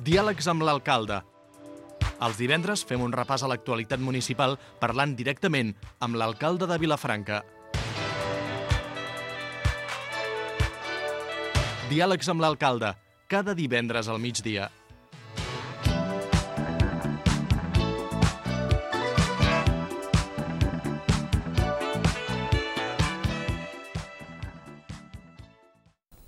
Diàlegs amb l'alcalde. Els divendres fem un repàs a l'actualitat municipal parlant directament amb l'alcalde de Vilafranca. Diàlegs amb l'alcalde, cada divendres al migdia.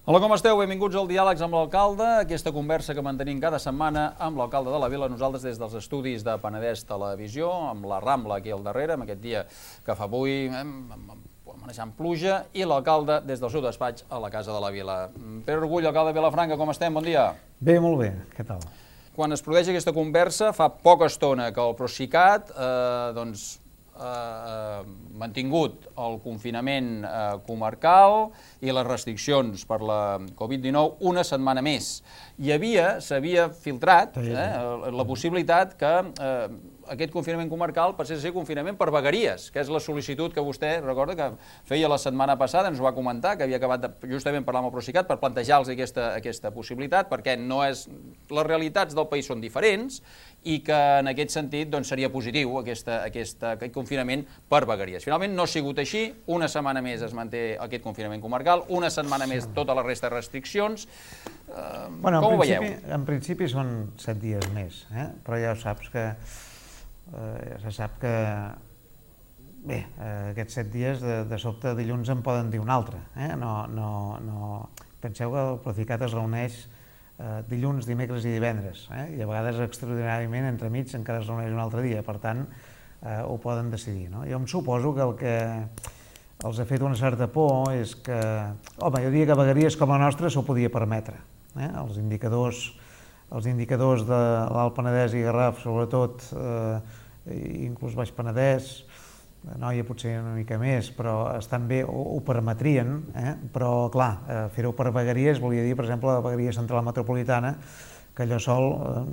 Hola, com esteu? Benvinguts al Diàlegs amb l'alcalde, aquesta conversa que mantenim cada setmana amb l'alcalde de la Vila, nosaltres des dels estudis de Penedès Televisió, amb la Rambla aquí al darrere, amb aquest dia que fa avui, manejant pluja, i l'alcalde des del seu despatx a la Casa de la Vila. Pere Orgull, alcalde de Vilafranca, com estem? Bon dia. Bé, molt bé. Què tal? Quan es produeix aquesta conversa, fa poca estona que el Procicat, mantingut el confinament comarcal i les restriccions per la Covid-19 una setmana més. S'havia filtrat la possibilitat que aquest confinament comarcal passés a ser confinament per vegueries, que és la sol·licitud que vostè, recorda, que feia la setmana passada, ens ho va comentar, que havia acabat de justament parlar amb el Procicat per plantejar-los aquesta possibilitat, perquè les realitats del país són diferents i que en aquest sentit seria positiu aquest confinament per vegueries. Finalment no ha sigut així, una setmana més es manté aquest confinament comarcal, una setmana més tota la resta de restriccions. Com ho veieu? En principi són 7 dies més, però ja saps que se sap que bé, aquests 7 dies de sobte dilluns en poden dir un altre. Penseu que el Procicat es reuneix dilluns, dimecres i divendres, i a vegades extraordinàriament entremig encara es reuneix un altre dia, per tant ho poden decidir. Jo em suposo que el que els ha fet una certa por és que, home, jo diria que vegueries com la nostra s'ho podia permetre. Els indicadors de l'Alt Penedès i Garraf, sobretot, inclús Baix Penedès, Anoia potser una mica més, però estan bé, ho permetrien, però clar, fer-ho per vegueries volia dir, per exemple, la vegueria central metropolitana, que allò sol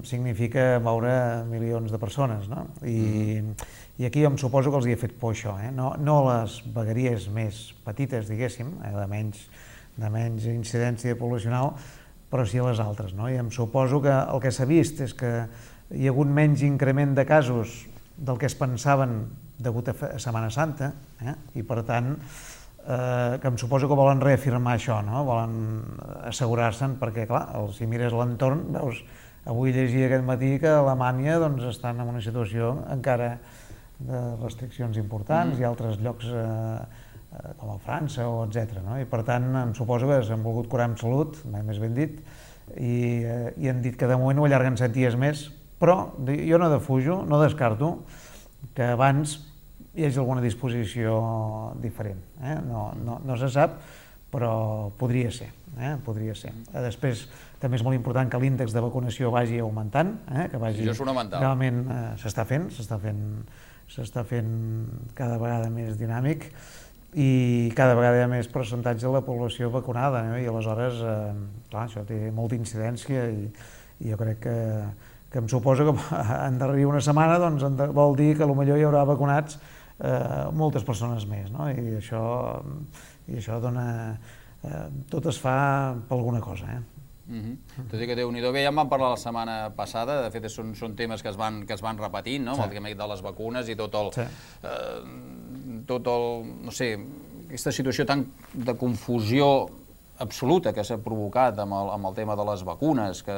significa moure milions de persones, no? I aquí em suposo que els hi ha fet por això, no les vegueries més petites, diguéssim, de menys incidència poblacional, però sí a les altres, no? I em suposo que el que s'ha vist és que hi ha hagut menys increment de casos del que es pensaven degut a Setmana Santa, i per tant que em suposo que volen reafirmar això, volen assegurar-se'n, perquè clar, si mires l'entorn, veus, avui llegia aquest matí que a Alemanya estan en una situació encara de restriccions importants i altres llocs com a França o etc. I per tant em suposo que s'han volgut curar amb salut, mai més ben dit, i han dit que de moment ho allarguen 7 dies més, però jo no defujo, no descarto que abans hi hagi alguna disposició diferent. No se sap, però podria ser. Després, també és molt important que l'índex de vacunació vagi augmentant, que vagi... Això és fonamental. Realment s'està fent cada vegada més dinàmic i cada vegada hi ha més percentatge de la població vacunada, i aleshores, clar, això té molta incidència i jo crec que em suposo que en darrere una setmana vol dir que potser hi haurà vacunats moltes persones més, i això dona... tot es fa per alguna cosa. Tot i que Déu-n'hi-do, bé, ja en vam parlar la setmana passada, de fet són temes que es van repetint, el tema de les vacunes i tot el, no sé, aquesta situació tan de confusió absoluta que s'ha provocat amb el tema de les vacunes, que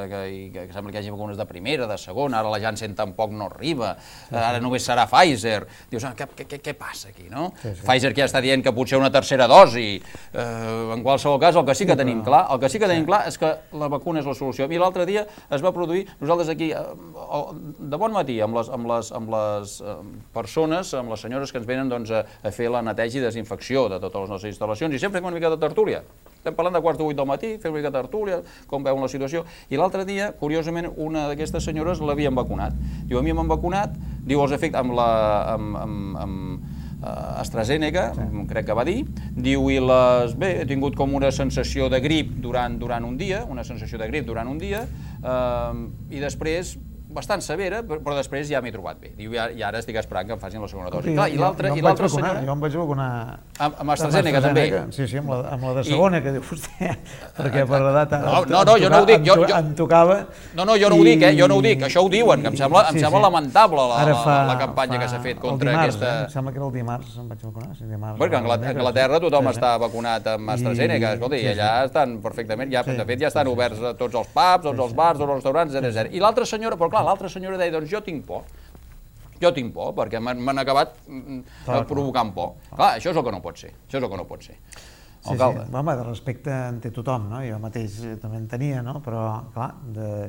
sembla que hi hagi vacunes de primera, de segona, ara la Janssen tampoc no arriba, ara només serà Pfizer. Dius, què passa aquí, no? Pfizer que ja està dient que potser una tercera dosi. En qualsevol cas, el que sí que tenim clar és que la vacuna és la solució. I l'altre dia es va produir, nosaltres aquí, de bon matí, amb les persones, amb les senyores que ens venen a fer la neteja i desinfecció de totes les nostres instal·lacions, i sempre fem una mica de tertúlia. Estem parlant de quarts de 8 del matí, fem una mica de tertúlia, com veuen la situació, i l'altre dia, curiosament, una d'aquestes senyores l'havien vacunat. Diu, a mi m'han vacunat, diu, els efectes amb AstraZeneca, crec que va dir, diu, i bé, he tingut com una sensació de grip durant un dia, i després bastant severa, però després ja m'he trobat bé. Diu, i ara estic esperant que em facin la segona dosi. Jo em vaig vacunar amb AstraZeneca també? Sí, amb la de segona, que diu vostè, perquè per l'edat no, jo no ho dic. Em tocava... No, jo no ho dic, jo no ho dic, això ho diuen, que em sembla lamentable la campanya que s'ha fet contra aquesta... Em sembla que era el dimarts em vaig vacunar, sí, dimarts. Perquè a Anglaterra tothom està vacunat amb AstraZeneca, escolta, i allà estan perfectament, de fet ja estan oberts tots els pubs, tots els bars, tots els restaurants, etc. I l'altra senyora, però clar, l'altra senyora deia, doncs jo tinc por, perquè m'han acabat provocant por. Clar, això és el que no pot ser, Alcalde. Home, de respecte en té tothom, no? Jo mateix també en tenia, no? Però, clar,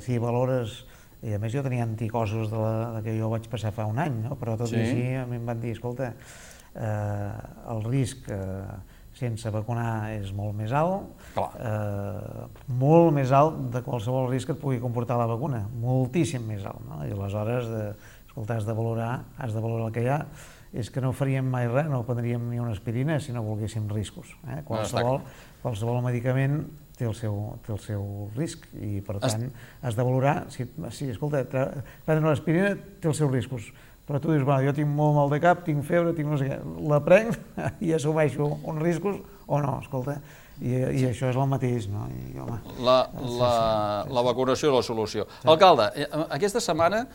si valores... I a més jo tenia anticossos de que jo vaig passar fa un any, no? Però tot i així a mi em van dir, escolta, el risc sense vacunar és molt més alt, molt més alt de qualsevol risc que et pugui comportar la vacuna, moltíssim més alt, no? I aleshores, escolta, has de valorar el que hi ha, és que no faríem mai res, no prendríem ni una aspirina si no volguéssim riscos. Qualsevol medicament té el seu risc i, per tant, has de valorar, escolta, prendre una aspirina té els seus riscos, però tu dius, jo tinc molt mal de cap, tinc febre, tinc no sé què, la prenc i assumeixo uns riscos o no, escolta, i això és el mateix, no? La vacunació és la solució. Alcalde, aquesta setmana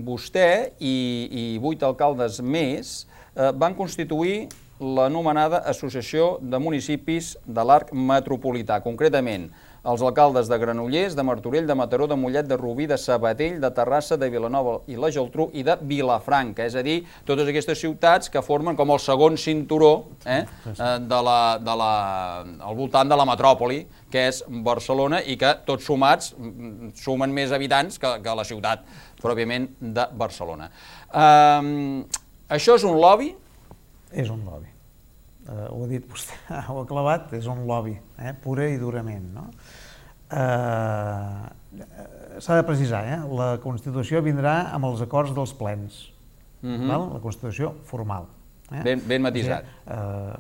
vostè i 8 alcaldes més van constituir l'anomenada Associació de Municipis de l'Arc Metropolità, concretament els alcaldes de Granollers, de Martorell, de Mataró, de Mollet, de Rubí, de Sabadell, de Terrassa, de Vilanova i la Geltrú i de Vilafranca, és a dir, totes aquestes ciutats que formen com el segon cinturó al voltant de la metròpoli, que és Barcelona, i que tots sumats sumen més habitants que la ciutat pròpiament de Barcelona. Això és un lobby? És un lobby. Ho ha dit vostè, ho ha clavat, és un lobby, pura i durament. S'ha de precisar, la Constitució vindrà amb els acords dels plens, la Constitució formal. Ben matisat.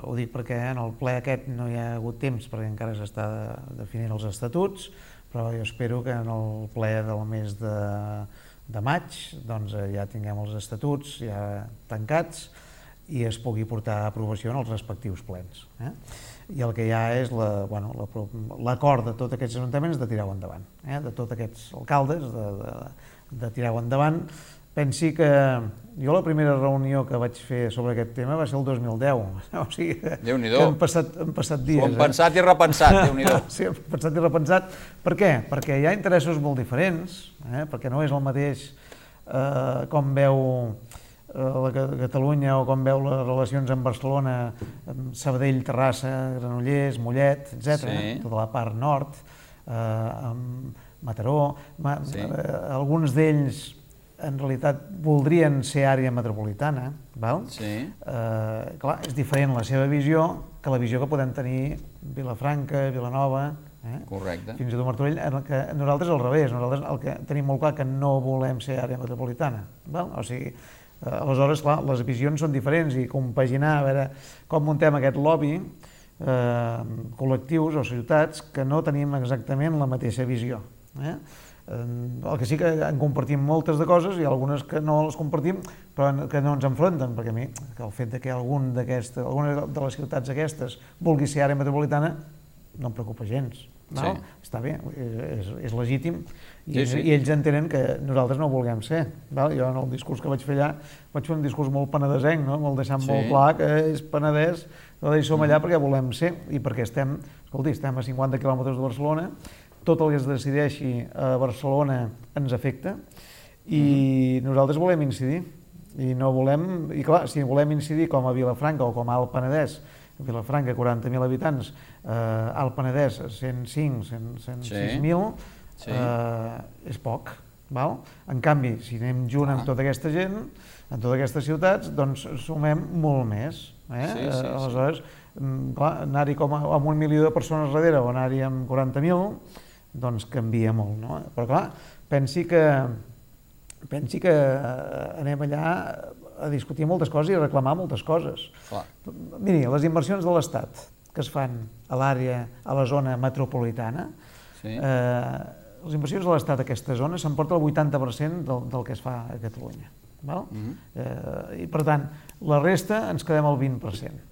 Ho dic perquè en el ple aquest no hi ha hagut temps, perquè encara s'està definint els estatuts, però jo espero que en el ple del mes de maig ja tinguem els estatuts ja tancats, i es pugui portar a aprovació en els respectius plens. I el que hi ha és l'acord de tots aquests ajuntaments de tirar-ho endavant, de tots aquests alcaldes de tirar-ho endavant. Pensi que jo la primera reunió que vaig fer sobre aquest tema va ser el 2010, o sigui que han passat dies. Ho hem pensat i repensat, Déu-n'hi-do. Sí, hem pensat i repensat. Per què? Perquè hi ha interessos molt diferents, perquè no és el mateix com veu Catalunya o com veu les relacions amb Barcelona, amb Sabadell, Terrassa, Granollers, Mollet, etc., tota la part nord, amb Mataró. Alguns d'ells en realitat voldrien ser àrea metropolitana, clar, és diferent la seva visió que la visió que podem tenir Vilafranca, Vilanova, fins i tot Martorell. Nosaltres al revés, nosaltres tenim molt clar que no volem ser àrea metropolitana, o sigui, aleshores, clar, les visions són diferents i compaginar, a veure com muntem aquest lobby, col·lectius o ciutats que no tenim exactament la mateixa visió. El que sí que en compartim moltes de coses i algunes que no les compartim però que no ens enfronten, perquè a mi el fet que alguna de les ciutats aquestes vulgui ser àrea metropolitana no em preocupa gens. Està bé, és legítim i ells entenen que nosaltres no ho vulguem ser. Jo en el discurs que vaig fer allà vaig fer un discurs molt penedesenc, molt deixant molt clar que és Penedès, i som allà perquè volem ser i perquè estem a 50 quilòmetres de Barcelona, tot el que es decideixi a Barcelona ens afecta i nosaltres volem incidir i clar, si volem incidir com a Vilafranca o com a Alt Penedès, Vilafranca 40.000 habitants, Alt Penedès 105, 106.000, és poc. En canvi, si anem junt amb tota aquesta gent, en totes aquestes ciutats, doncs sumem molt més. Aleshores, anar-hi com amb 1 milió de persones darrere o anar-hi amb 40.000, doncs canvia molt. Però clar, pensi que anem allà a discutir moltes coses i a reclamar moltes coses. Miri, les inversions de l'Estat que es fan a l'àrea, a la zona metropolitana, les inversions de l'Estat a aquesta zona s'emporta el 80% del que es fa a Catalunya. I per tant, la resta ens quedem al 20%.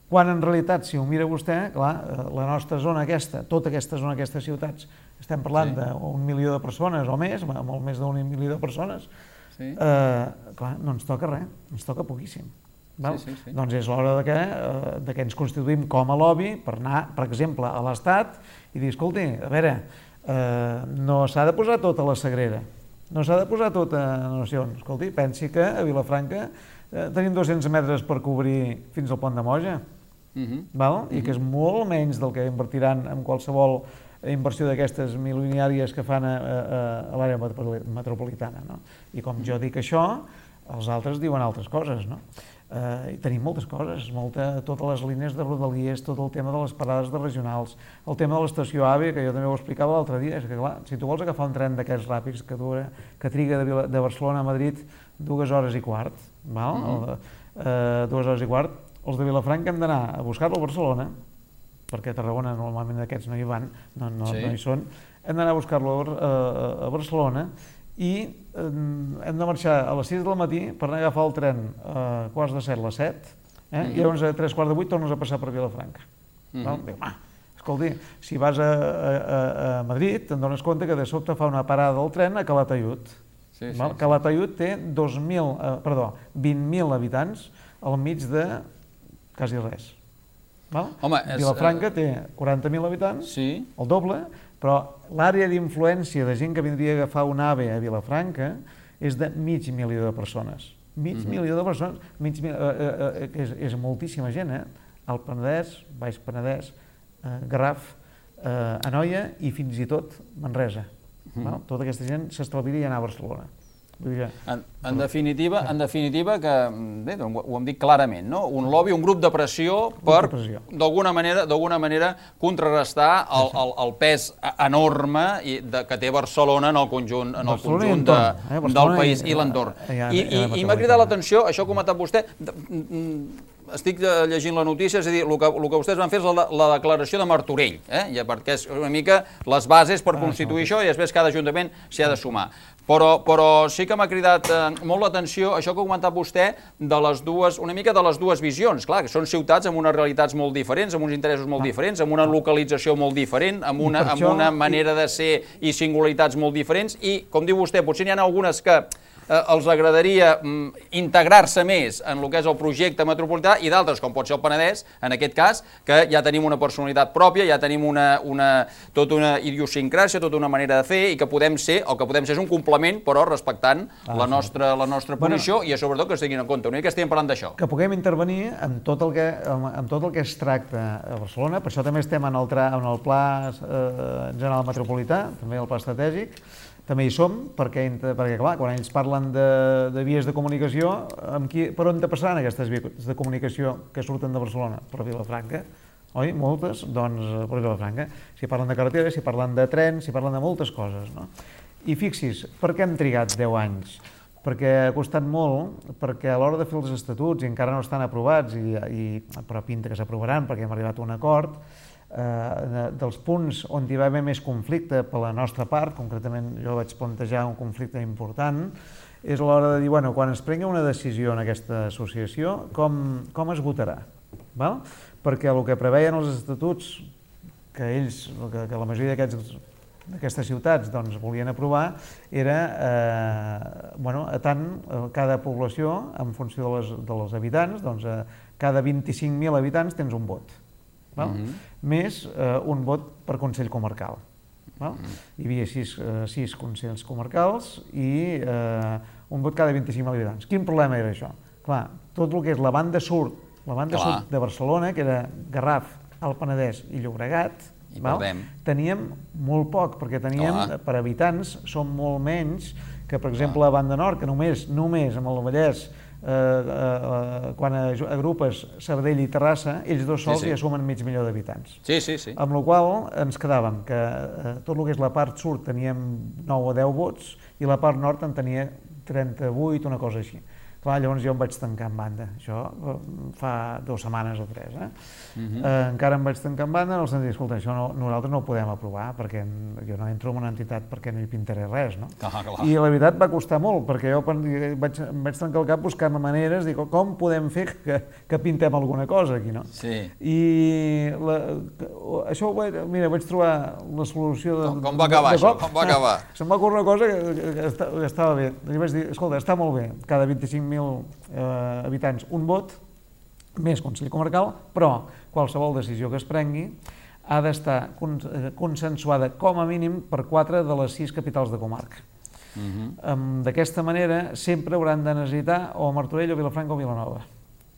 Quan en realitat, si ho mira vostè, clar, la nostra zona aquesta, tota aquesta zona, aquestes ciutats, estem parlant d'un milió de persones o més, molt més d'un milió de persones, clar, no ens toca res, ens toca poquíssim. Doncs és l'hora que ens constituïm com a lobby per anar, per exemple, a l'Estat i dir, escolti, a veure, no s'ha de posar tot a la Sagrera, no s'ha de posar tot a Nacions. Escolti, pensi que a Vilafranca tenim 200 metres per cobrir fins al pont de Moja, i que és molt menys del que invertiran en qualsevol inversió d'aquestes milionàries que fan a l'àrea metropolitana. I com jo dic això, els altres diuen altres coses. I tenim moltes coses, totes les línies de rodalies, tot el tema de les parades de regionals, el tema de l'estació AVE, que jo també ho explicava l'altre dia, és que clar, si tu vols agafar un tren d'aquests ràpids que triga de Barcelona a Madrid 2 hores i quart, 2 hores i quart, els de Vilafranca hem d'anar a buscar-lo a Barcelona, perquè a Tarragona normalment aquests no hi van, no hi són, hem d'anar a buscar-lo a Barcelona i hem de marxar a les 6 del matí per anar a agafar el tren a quarts de 7 a les 7, i llavors a 3:15 tornes a passar per Vilafranca. Escolti, si vas a Madrid te'n dones compte que de sobte fa una parada del tren a Calatayud. Calatayud té 20.000 habitants al mig de quasi res. Vilafranca té 40.000 habitants, el doble, però l'àrea d'influència de gent que vindria a agafar un AVE a Vilafranca és de mig milió de persones. Mig milió de persones, és moltíssima gent, al Penedès, Baix Penedès, Garraf, Anoia i fins i tot Manresa. Tota aquesta gent s'estalviaria anar a Barcelona. En definitiva, que ho hem dit clarament, un lobby, un grup de pressió per, d'alguna manera, contrarrestar el pes enorme que té Barcelona en el conjunt del país i l'entorn. I m'ha cridat l'atenció, això ha comentat vostè, estic llegint la notícia, és a dir, el que vostès van fer és la declaració de Martorell, perquè és una mica les bases per constituir això i després cada ajuntament s'hi ha de sumar. Però sí que m'ha cridat molt l'atenció això que ha comentat vostè una mica de les dues visions. Clar, que són ciutats amb unes realitats molt diferents, amb uns interessos molt diferents, amb una localització molt diferent, amb una manera de ser i singularitats molt diferents i, com diu vostè, potser n'hi ha algunes que els agradaria integrar-se més en el que és el projecte metropolità i d'altres, com pot ser el Penedès, en aquest cas, que ja tenim una personalitat pròpia, ja tenim tota una idiosincràsia, tota una manera de fer i que el que podem ser és un complement, però respectant la nostra posició i sobretot que es tinguin en compte. Una mica estem parlant d'això. Que puguem intervenir en tot el que es tracta a Barcelona, per això també estem en el Pla General Metropolità, també el Pla Estratègic, també hi som, perquè clar, quan ells parlen de vies de comunicació, per on passaran aquestes vies de comunicació que surten de Barcelona? Per Vilafranca, oi? Moltes, doncs per Vilafranca. Si parlen de carreteres, si parlen de trens, si parlen de moltes coses, no? I fixi's, per què hem trigat 10 anys? Perquè ha costat molt, perquè a l'hora de fer els estatuts, i encara no estan aprovats, però pinta que s'aprovaran perquè hem arribat a un acord, dels punts on hi va haver més conflicte per la nostra part, concretament jo vaig plantejar un conflicte important, és l'hora de dir, bueno, quan es prengui una decisió en aquesta associació, com es votarà? Perquè el que preveien els estatuts que la majoria d'aquestes ciutats volien aprovar era tant cada població, en funció dels habitants, cada 25.000 habitants tens un vot. Més un vot per Consell Comarcal. Hi havia 6 consells comarcals i un vot cada 25.000 habitants. Quin problema era això? Clar, tot el que és la banda sud de Barcelona, que era Garraf, Alt Penedès i Llobregat, teníem molt poc, perquè teníem, per habitants, són molt menys que, per exemple, a banda nord, que només amb el Vallès, quan agrupes Sabadell i Terrassa, ells dos sols ja sumen mig milió d'habitants. Amb la qual cosa ens quedàvem que tot el que és la part sud teníem 9 o 10 vots i la part nord en tenia 38, una cosa així. Clar, llavors jo em vaig tancar en banda, això fa 2 setmanes o 3, encara em vaig tancar en banda en el sentit, escolta, això nosaltres no ho podem aprovar, perquè jo no entro en una entitat perquè no hi pintaré res, no? I la veritat va costar molt, perquè jo em vaig tancar el cap buscant maneres, dic, com podem fer que pintem alguna cosa aquí, no? Sí. I això, mira, vaig trobar la solució de... Com va acabar això? Com va acabar? Se'm va ocórrer una cosa que estava bé. Li vaig dir, escolta, està molt bé, cada 25.000 habitants un vot, més Consell Comarcal, però qualsevol decisió que es prengui ha d'estar consensuada com a mínim per 4 de les 6 capitals de comarca. D'aquesta manera sempre hauran de necessitar o Martorell, o Vilafranca o Vilanova.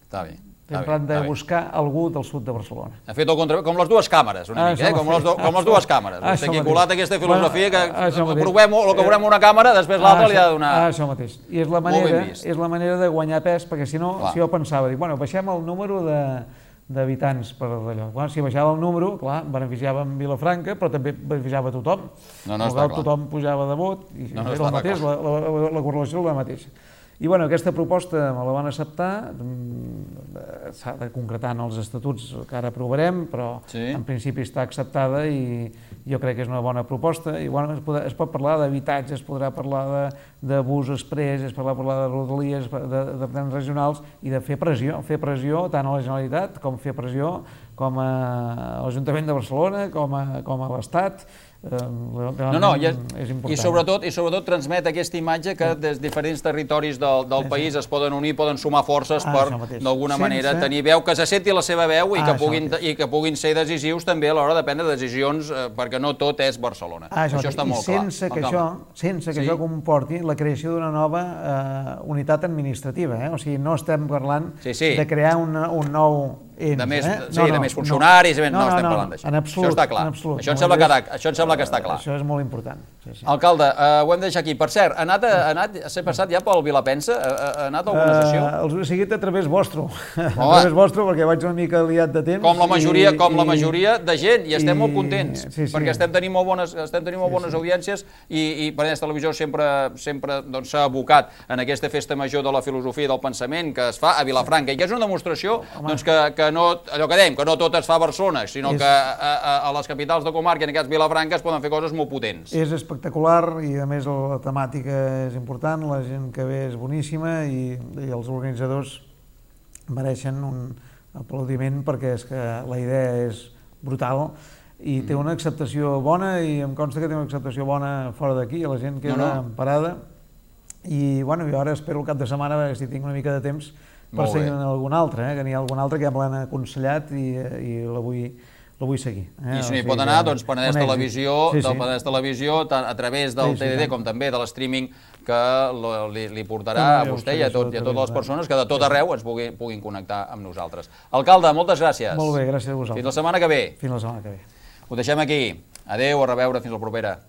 Està bé. Sempre han de buscar algú del sud de Barcelona. Ha fet el contrari, com les dues càmeres, una mica, com les dues càmeres. Vostè aquí ha colat aquesta filosofia que aprovem el que veurem una càmera, després l'altra li ha de donar... Això mateix. I és la manera de guanyar pes, perquè si no, si jo pensava, dic, bueno, baixem el número d'habitants per allò. Si baixava el número, clar, beneficiava Vilafranca, però també beneficiava tothom. Tothom pujava de vot, i era el mateix, la correlació era la mateixa. I bueno, aquesta proposta me la van acceptar, s'ha de concretar en els estatuts que ara aprovarem, però en principi està acceptada i jo crec que és una bona proposta. I bueno, es pot parlar d'habitatge, es podrà parlar de bus exprés, es podrà parlar de rodalies, de plans regionals i de fer pressió tant a la Generalitat com fer pressió com a l'Ajuntament de Barcelona, com a l'Estat. I sobretot transmet aquesta imatge que des de diferents territoris del país es poden unir, poden sumar forces per d'alguna manera tenir veu, que se senti la seva veu i que puguin ser decisius també a l'hora de prendre decisions, perquè no tot és Barcelona. Això està molt clar. Sense que això comporti la creació d'una nova unitat administrativa, o sigui, no estem parlant de crear un nou ens. De més funcionaris, no estem parlant d'això. Això està clar. Això em sembla que està clar. Això és molt important. Alcalde, ho hem de deixar aquí. Per cert, s'ha passat ja pel Vilapensa? Ha anat a alguna sessió? Els he seguit a través vostre. A través vostre, perquè vaig una mica liat de temps. Com la majoria de gent, i estem molt contents, perquè estem tenint molt bones audiències i Penedès Televisió sempre s'ha abocat en aquesta festa major de la filosofia i del pensament que es fa a Vilafranca, i que és una demostració que allò que dèiem, que no tot es fa a Barcelona, sinó que a les capitals de comarca, en aquest cas Vilafranca, es poden fer coses molt potents. És espectacular i a més la temàtica és important, la gent que ve és boníssima i els organitzadors mereixen un aplaudiment perquè és que la idea és brutal i té una acceptació bona i em consta que té una acceptació bona fora d'aquí, la gent queda emparada i bueno, jo ara espero el cap de setmana a veure si tinc una mica de temps per seguir algun altre, que n'hi ha algun altre que ja me l'han aconsellat i la vull seguir. I si no hi pot anar, doncs Penedès Televisió, a través del TDD com també de l'streaming que li portarà a vostè i a totes les persones que de tot arreu ens puguin connectar amb nosaltres. Alcalde, moltes gràcies. Molt bé, gràcies a vosaltres. Fins la setmana que ve. Fins la setmana que ve. Ho deixem aquí. Adéu, a reveure, fins la propera.